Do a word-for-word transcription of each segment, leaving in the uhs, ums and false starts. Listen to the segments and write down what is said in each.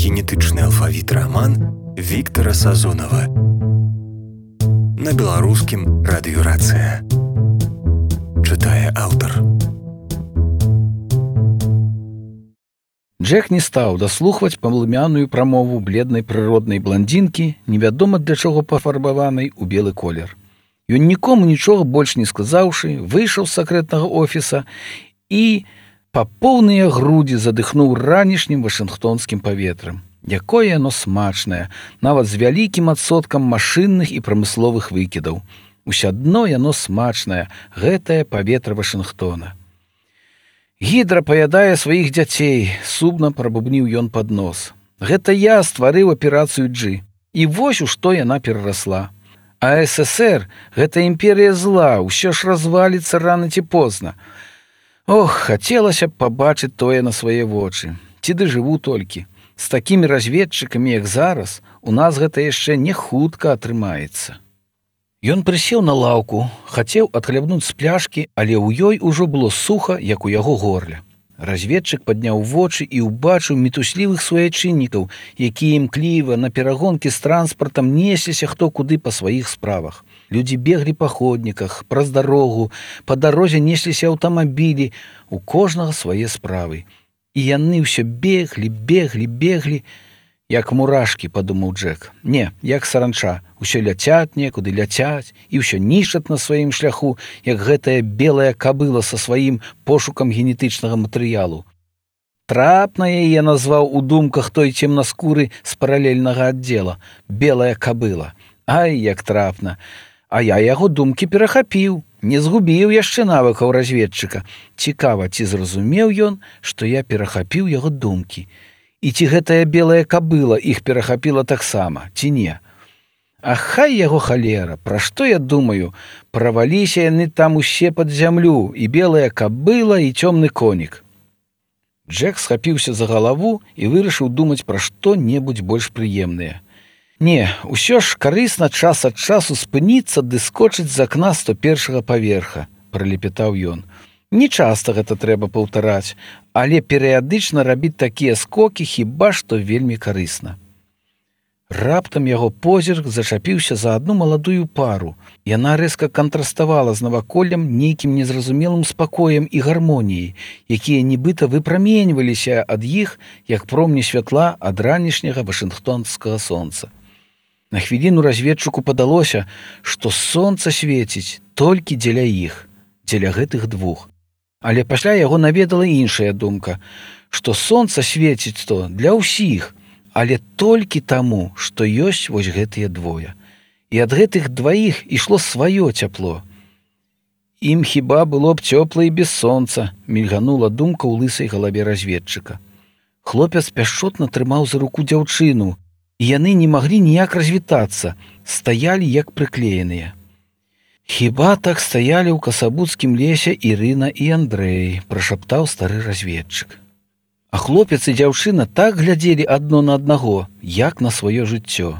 генетычны алфавіт раман Віктара Сазонава. На беларускім радыёрацыя. Чытае аўтар. Джек не стаў даслухваць палымяную прамову бледнай прыроднай бландзінкі, невядома для чаго пафарбаванай у белы колер. Ён нікому нічога больш не сказаўшы, выйшаў з сакрэтнага офіса і па поўныя грудзі задыхнуў ранішнім вашынгтонскім паветрам. Якое яно смачнае, нават з вялікім адсоткам машынных і прамысловых выкідаў. Усё адно яно смачнае, гэтае паветра Вашынгтона. Гідра паядае сваіх дзяцей, сумна прабубніў ён пад нос. Гэта я стварыў аперацыю G. І вось у што яна перарасла. А эс эс ер — гэта імперія зла, усё ж разваліцца рана ці позна. Ох, хацелася б пабачыць тое на свае вочы. Ці дажыву толькі. З такімі разведчыкамі, як зараз, у нас гэта яшчэ не хутка атрымаецца. Ён прысеў на лаўку, хацеў адхлябнуць з пляшкі, але ў ёй ужо было суха, як у яго горле. Разведчык падняў вочы і ўбачыў мітуслівых суайчыннікаў, якія імкліва на перагонкі з транспартам несліся хто куды па сваіх справах. Людзі беглі па ходніках, праз дарогу, па дарозе несліся аўтамабілі, у кожнага свае справы. І яны ўсё беглі, беглі, беглі, як мурашкі, падумаў Джек. Не, як саранча, усё ляцяць некуды, ляцяць, і ўсё нішчаць на сваім шляху, як гэтая белая кабыла са сваім пошукам генетычнага матэрыялу. Трапна яе назваў у думках той цемнаскуры з паралельнага аддзела. Белая кабыла. Ай, як трапна. А я яго думкі перахапіў, не згубіў яшчэ навыкаў разведчыка. Цікава, ці зразумеў ён, што я перахапіў яго думкі. І ці гэтая белая кабыла іх перахапіла таксама, ці не? А хай яго халера, пра што я думаю? Праваліся яны там усе пад зямлю, і белая кабыла, і цёмны конік. Джек схапіўся за галаву і вырашыў думаць пра што-небудзь больш прыемнае. Не, усё ж карысна час ад часу спыніцца ды скочыць з акна сто першага паверха, пралепетаў ён. Не часта гэта трэба паўтараць, але перыядычна рабіць такія скокі хіба што вельмі карысна. Раптам яго позірк зачапіўся за адну маладую пару. Яна рэзка кантраставала з наваколлем нейкім незразумелым спакоем і гармоніяй, якія нібыта выпраменьваліся ад іх, як промні святла ад ранішняга вашынгтонскага сонца. На хвіліну разведчыку падалося, што сонца свеціць толькі дзеля іх, дзеля гэтых двух. Але пасля яго наведала іншая думка, што сонца свеціць то для ўсіх, але толькі таму, што ёсць вось гэтыя двое. І ад гэтых дваіх ішло сваё цяпло. Ім хіба было б цёпла і без сонца, мільганула думка ў лысай галаве разведчыка. Хлопец пяшчотна трымаў за руку дзяўчыну, і яны не маглі ніяк развітацца, стаялі як прыклееныя. Хіба так стаялі ў касабуцкім лесе Ірына і Андрэй, прашаптаў стары разведчык. А хлопец і дзяўчына так глядзелі адно на аднаго, як на сваё жыццё.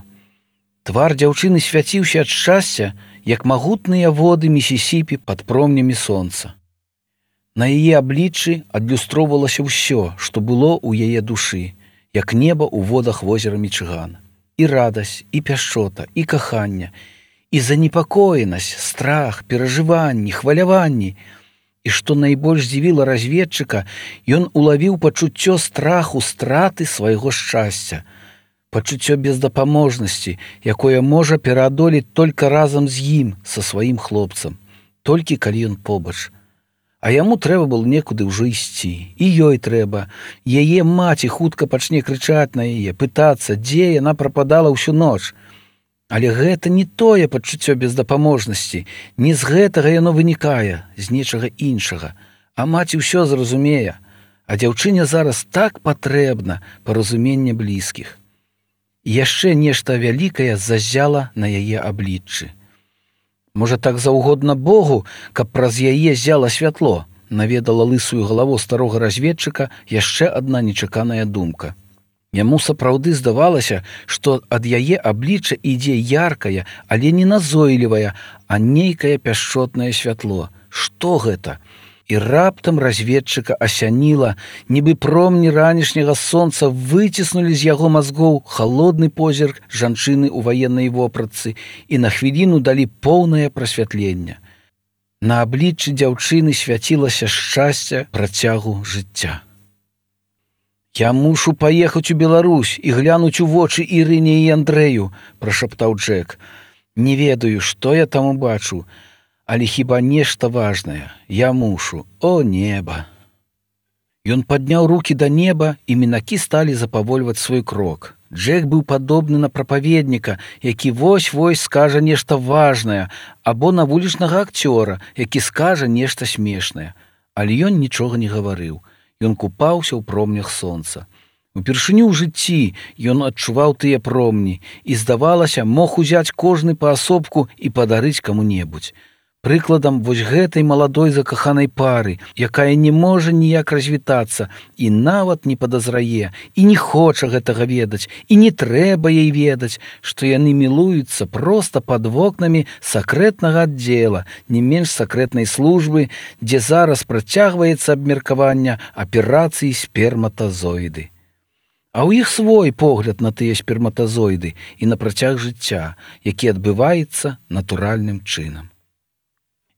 Твар дзяўчыны свяціўся ад шчасця, як магутныя воды Місісіпі пад промнямі сонца. На яе абліччы адлюстроўвалася ўсё, што было ў яе душы, як неба ў водах возера Мічыган. І радасць, і пяшчота, і каханне, і занепакоенасць, страх, перажыванні, хваляванні. І што найбольш здзівіла разведчыка, ён улавіў пачуццё страху страты свайго шчасця, пачуццё бездапаможнасці, якое можа пераадолець толькі разам з ім, са сваім хлопцам, толькі калі ён побач. А яму трэба было некуды ўжо ісці, і ёй трэба. Яе маці хутка пачне крычаць на яе, пытацца, дзе яна прападала ўсю ноч. Але гэта не тое пачуццё бездапаможнасці, не з гэтага яно вынікае, з нечага іншага. А маці ўсё зразумее, а дзяўчыне зараз так патрэбна паразуменне блізкіх. І яшчэ нешта вялікае заззяла на яе абліччы. Можа, так заўгодна Богу, каб праз яе ззяла святло, наведала лысую галаву старога разведчыка яшчэ адна нечаканая думка. Яму сапраўды здавалася, што ад яе аблічча ідзе яркае, але не назойлівае, а нейкае пяшчотнае святло. Што гэта? І раптам разведчыка асяніла, нібы промні ранішняга сонца выціснулі з яго мазгоў халодны позірк жанчыны ў ваеннай вопратцы і на хвіліну далі поўнае прасвятленне. На абліччы дзяўчыны свяцілася шчасце працягу жыцця. «Я мушу паехаць у Беларусь і глянуць у вочы Ірыне і Андрэю», – прашаптаў Джек. «Не ведаю, што я там убачу, але хіба нешта важнае. Я мушу. О, неба!» Ён падняў рукі да неба, і мінакі сталі запавольваць свой крок. Джек быў падобны на прапаведніка, які вось-вось скажа нешта важнае, або на вулічнага акцёра, які скажа нешта смешнае. Але ён нічога не гаварыў. Ён купаўся ў промнях сонца. Упершыню ў жыцці ён адчуваў тыя промні і, здавалася, мог узяць кожны паасобку і падарыць каму-небудзь. Прыкладам вось гэтай маладой закаханай пары, якая не можа ніяк развітацца і нават не падазрае, і не хоча гэтага ведаць, і не трэба ей ведаць, што яны мілуюцца проста пад вокнамі сакрэтнага аддзела, не менш сакрэтнай службы, дзе зараз працягваецца абмеркаванне аперацыі сперматазоіды. А ў іх свой погляд на тыя сперматазоіды і на працяг жыцця, які адбываецца натуральным чынам.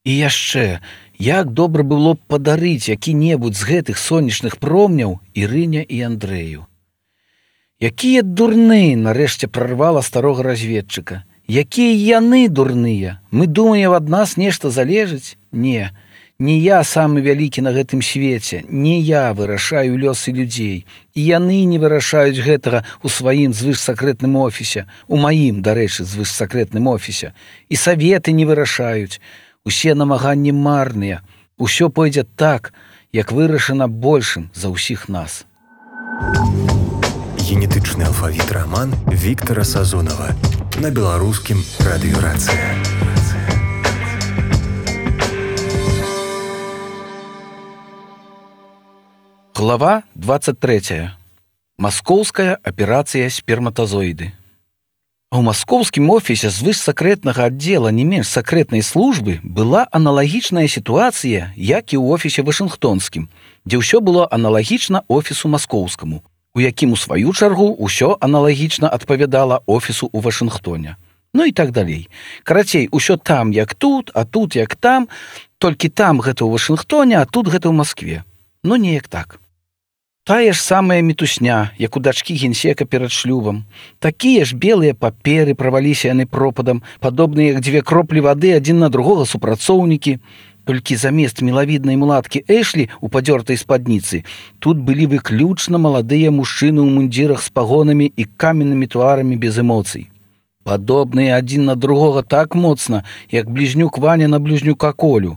І яшчэ, як добра было б падарыць які-небудзь з гэтых сонечных промняў Ірыне і Андрэю. Якія дурны, нарэшце прарвала старога разведчыка. Якія яны дурныя? Мы думаем, ад нас нешта залежыць? Не, не я самы вялікі на гэтым свеце, не я вырашаю лёсы людзей. І яны не вырашаюць гэтага ў сваім звышсакрэтным офісе, у маім, дарэчы, звышсакрэтным офісе. І саветы не вырашаюць. Усе намаганні марныя. Усё пойдзе так, як вырашана большым за ўсіх нас. Генетычны алфавіт раман Віктара Сазонава на беларускім радыёрацыя. Глава двадцать третья. Маскоўская аперацыя сперматазоіды. А ў маскоўскім офісе звышсакрэтнага аддзела не менш сакрэтнай службы была аналагічная сітуацыя, як і ў офісе вашынгтонскім, дзе ўсё было аналагічна офісу маскоўскаму, у якім у сваю чаргу ўсё аналагічна адпавядала офісу ў Вашынгтоне. Ну і так далей. Карацей, усё там, як тут, а тут, як там, толькі там гэта ў Вашынгтоне, а тут гэта ў Маскве. Ну, неяк так. Тая ж самая мітусня, як у дачкі генсека перад шлюбам. Такія ж белыя паперы праваліся яны пропадам, падобныя як дзве кроплі вады адзін на другога супрацоўнікі. Толькі замест мілавіднай мулаткі Эшлі ў падзёртай спадніцы тут былі выключна маладыя мужчыны ў мундзірах з пагонамі і каменнымі тварамі без эмоцый. Падобныя адзін на другога так моцна, як блізнюк Ваня на блізнюка Колю.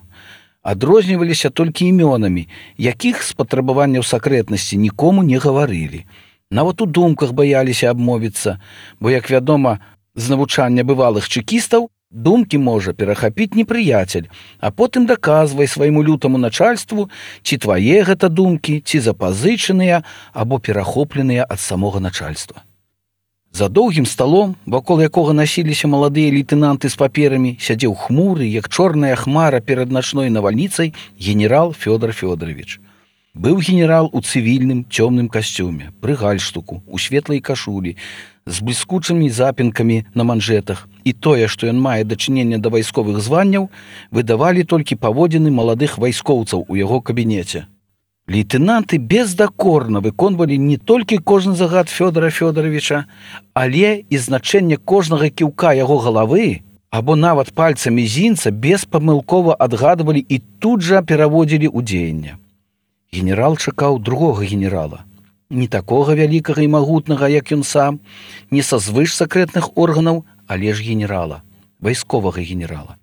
Адрозніваліся толькі імёнамі, якіх з патрабаванняў сакрэтнасці нікому не гаварылі. Нават у думках баяліся абмовіцца, бо, як вядома, з навучання бывалых чэкістаў, думкі можа перахапіць непрыяцель, а потым даказвай свайму лютаму начальству, ці твае гэта думкі, ці запазычаныя або перахопленыя ад самога начальства. За доўгім сталом, вакол якога насіліся маладыя лейтэнанты з паперамі, сядзеў хмуры, як чорная хмара перад начной навальніцай, генерал Фёдор Фёдорович. Быў генерал у цывільным цёмным касцюме, пры гальштуку, у светлай кашулі, з бліскучымі запінкамі на манжетах, і тое, што ён мае дачыненне да вайсковых званняў, выдавалі толькі паводзіны маладых вайскоўцаў у яго кабінеце. Лейтэнанты бездакорна выконвалі не толькі кожны загад Фёдора Фёдоровича, але і значэнне кожнага кіўка яго галавы, або нават пальца мізінца беспамылкова адгадвалі і тут жа пераводзілі ў дзеянне. Генерал чакаў другога генерала, не такога вялікага і магутнага, як ён сам, не са звышсакрэтных органаў, але ж генерала, вайсковага генерала.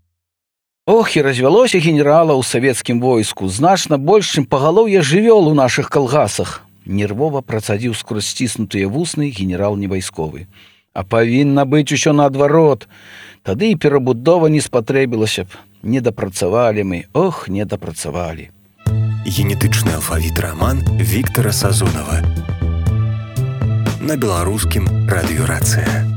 Ох, і развялося генерала ў савецкім войску, значна больш, чым пагалоўе жывёл у нашых калгасах. Нервова працадзіў скрозь сціснутыя вусны генерал не вайсковы. А павінна быць усё наадварот. Тады і перабудова не спатрэбілася б. Не дапрацавалі мы, ох, не дапрацавалі. Генетычны алфавіт раман Віктара Сазонава на беларускім радыёрацыя.